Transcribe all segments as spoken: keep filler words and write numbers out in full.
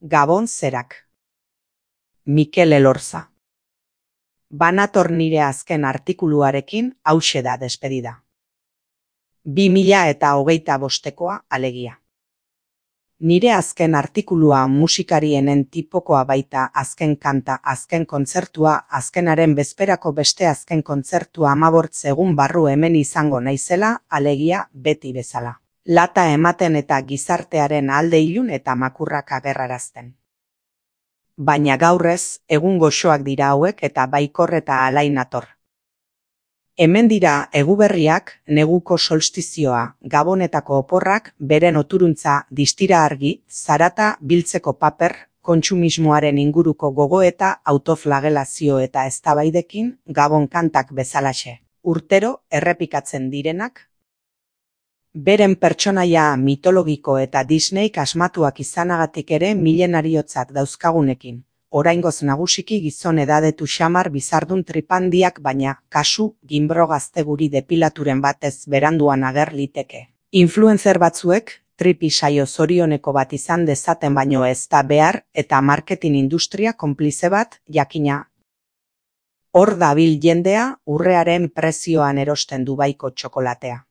Gabon zerak. Mikel Elorza. Banator nire azken artikuluarekin hauxe da despedida. Bi mila eta hogeita bostekoa alegia. Nire azken artikulua musikarienen tipokoa baita, azken kanta, azken kontzertua, azkenaren bezperako beste azken kontzertua amabort egun barru hemen izango naizela, alegia beti bezala. Lata ematen eta gizartearen alde ilun eta makurrak agerrarazten. Baina gaurrez, egun goxoak dira hauek eta baikor eta alain nator. Hemen dira eguberriak, neguko solstizioa, gabonetako oporrak, beren oturuntza, distira argi, zarata biltzeko paper, kontsumismoaren inguruko gogoeta, autoflagelazio eta eztabaidekin, gabon kantak bezalaxe. Urtero errepikatzen direnak, beren pertsonaia mitologiko eta Disneyk asmatuak izanagatik ere milenariotzat dauzkagunekin. Oraingoz nagusiki gizon edadetu xamar bizardun tripandiak, baina kasu ginbro gazte guri depilaturen batez beranduan ager liteke. Influencer batzuek tripi saio zorioneko bat izan dezaten baino ez da behar eta marketing industria konplize bat, jakina. Hor dabil jendea urrearen prezioan erosten Dubaiko txokolatea.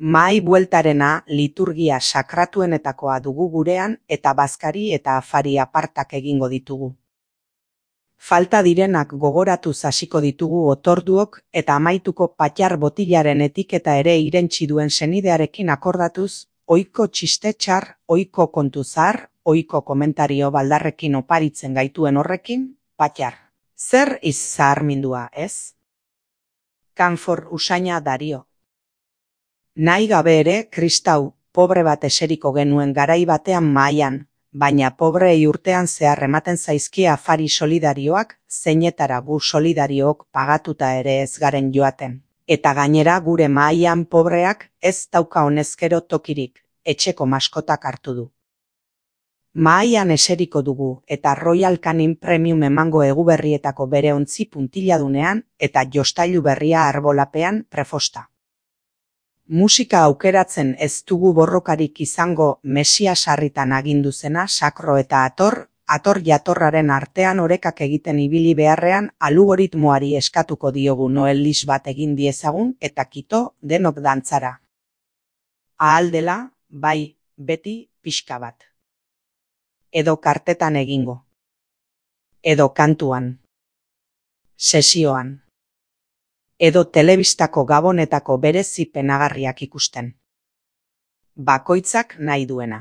Mahai bueltarena liturgia sakratuenetakoa dugu gurean eta bazkari eta afari apartak egingo ditugu. Falta direnak gogoratuz hasiko ditugu otorduok eta amaituko patxar botilaren etiketa ere irentsi duen senidearekin akordatuz, ohiko txiste txar, ohiko kontu zahar, ohiko komentario baldarrekin oparitzen gaituen horrekin, patxar. Zer iz zaharmindua, ez? Kanfor usaina Dario. Nahi gabe ere, kristau, pobre bat eseriko genuen garai batean mahaian, baina pobrei urtean zehar ematen zaizkie afari solidarioak, zeinetara gu solidariook pagatuta ere ez garen joaten. Eta gainera gure mahaian pobreak ez dauka honezkero tokirik, etxeko maskotak hartu du. Mahaian eseriko dugu eta Royal Canin Premium emango eguberrietako bere ontzi puntiladunean eta jostailu berria arbolapean prefosta. Musika aukeratzen ez dugu borrokarik izango Mesia sarritan agindu zena sakro eta ator, ator jatorraren artean orekak egiten ibili beharrean algoritmoari eskatuko diogu Noel lis bat egin diezagun eta kito denok dantzara. Ahal dela, bai, beti pixka bat. Edo kartetan egingo. Edo kantuan. Sesioan. Edo telebistako gabonetako berezi penagarriak ikusten. Bakoitzak nahi duena.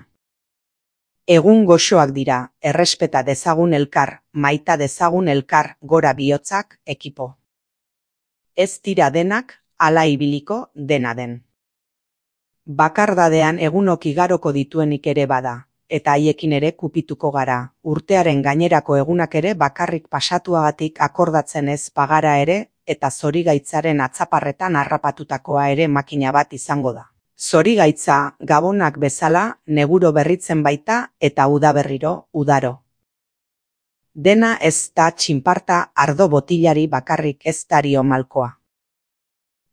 Egun goxoak dira, errespeta dezagun elkar, maita dezagun elkar, gora bihotzak, ekipo. Ez dira denak, hala ibiliko dena den. Bakardadean egunok igaroko dituenik ere bada, eta haiekin ere kupituko gara, urtearen gainerako egunak ere bakarrik pasatuagatik akordatzen ez bagara ere, eta zorigaitzaren atzaparretan harrapatutakoa ere makina bat izango da. Zorigaitza, gabonak bezala, neguro berritzen baita eta udaberriro, udaro. Dena ez da txinparta ardo botilari bakarrik ez dario malkoa.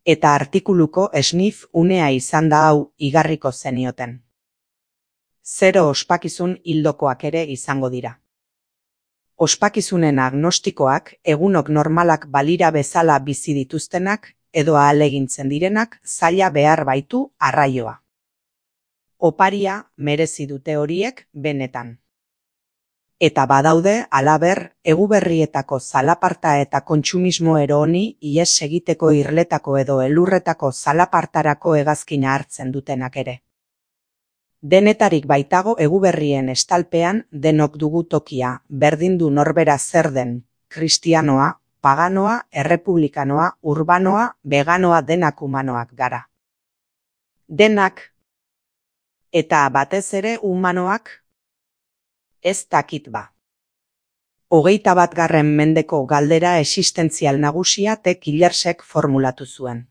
Eta artikuluko esnif unea izan da hau igarriko zenioten. Zero ospakizun hildokoak ere izango dira. Ospakizunen agnostikoak, egunok normalak balira bezala bizi dituztenak, edo ahalegintzen direnak, zaila behar baitu arraioa. Oparia merezi dute horiek benetan. Eta badaude, halaber, eguberrietako zalaparta eta kontsumismo ero honi ihes egiteko irletako edo elurretako zalapartarako hegazkina hartzen dutenak ere. Denetarik baitago eguberrien estalpean denok dugu tokia, berdin du norbera zer den, kristianoa, paganoa, errepublikanoa, urbanoa, veganoa denak humanoak gara. Denak, eta batez ere humanoak, ez dakit ba. Hogeita bat garren mendeko galdera existentzial nagusia T. Killersek formulatu zuen.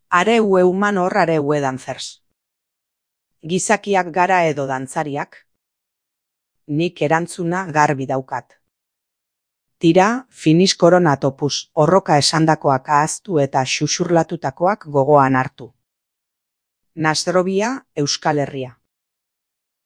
Are ue humano hor are ue danzers. Gizakiak gara edo dantzariak? Nik erantzuna garbi daukat. Tira, finis koronatopus, horroka esandakoak ahaztu eta xuxurlatutakoak gogoan hartu. Nasrobia, Euskal Herria.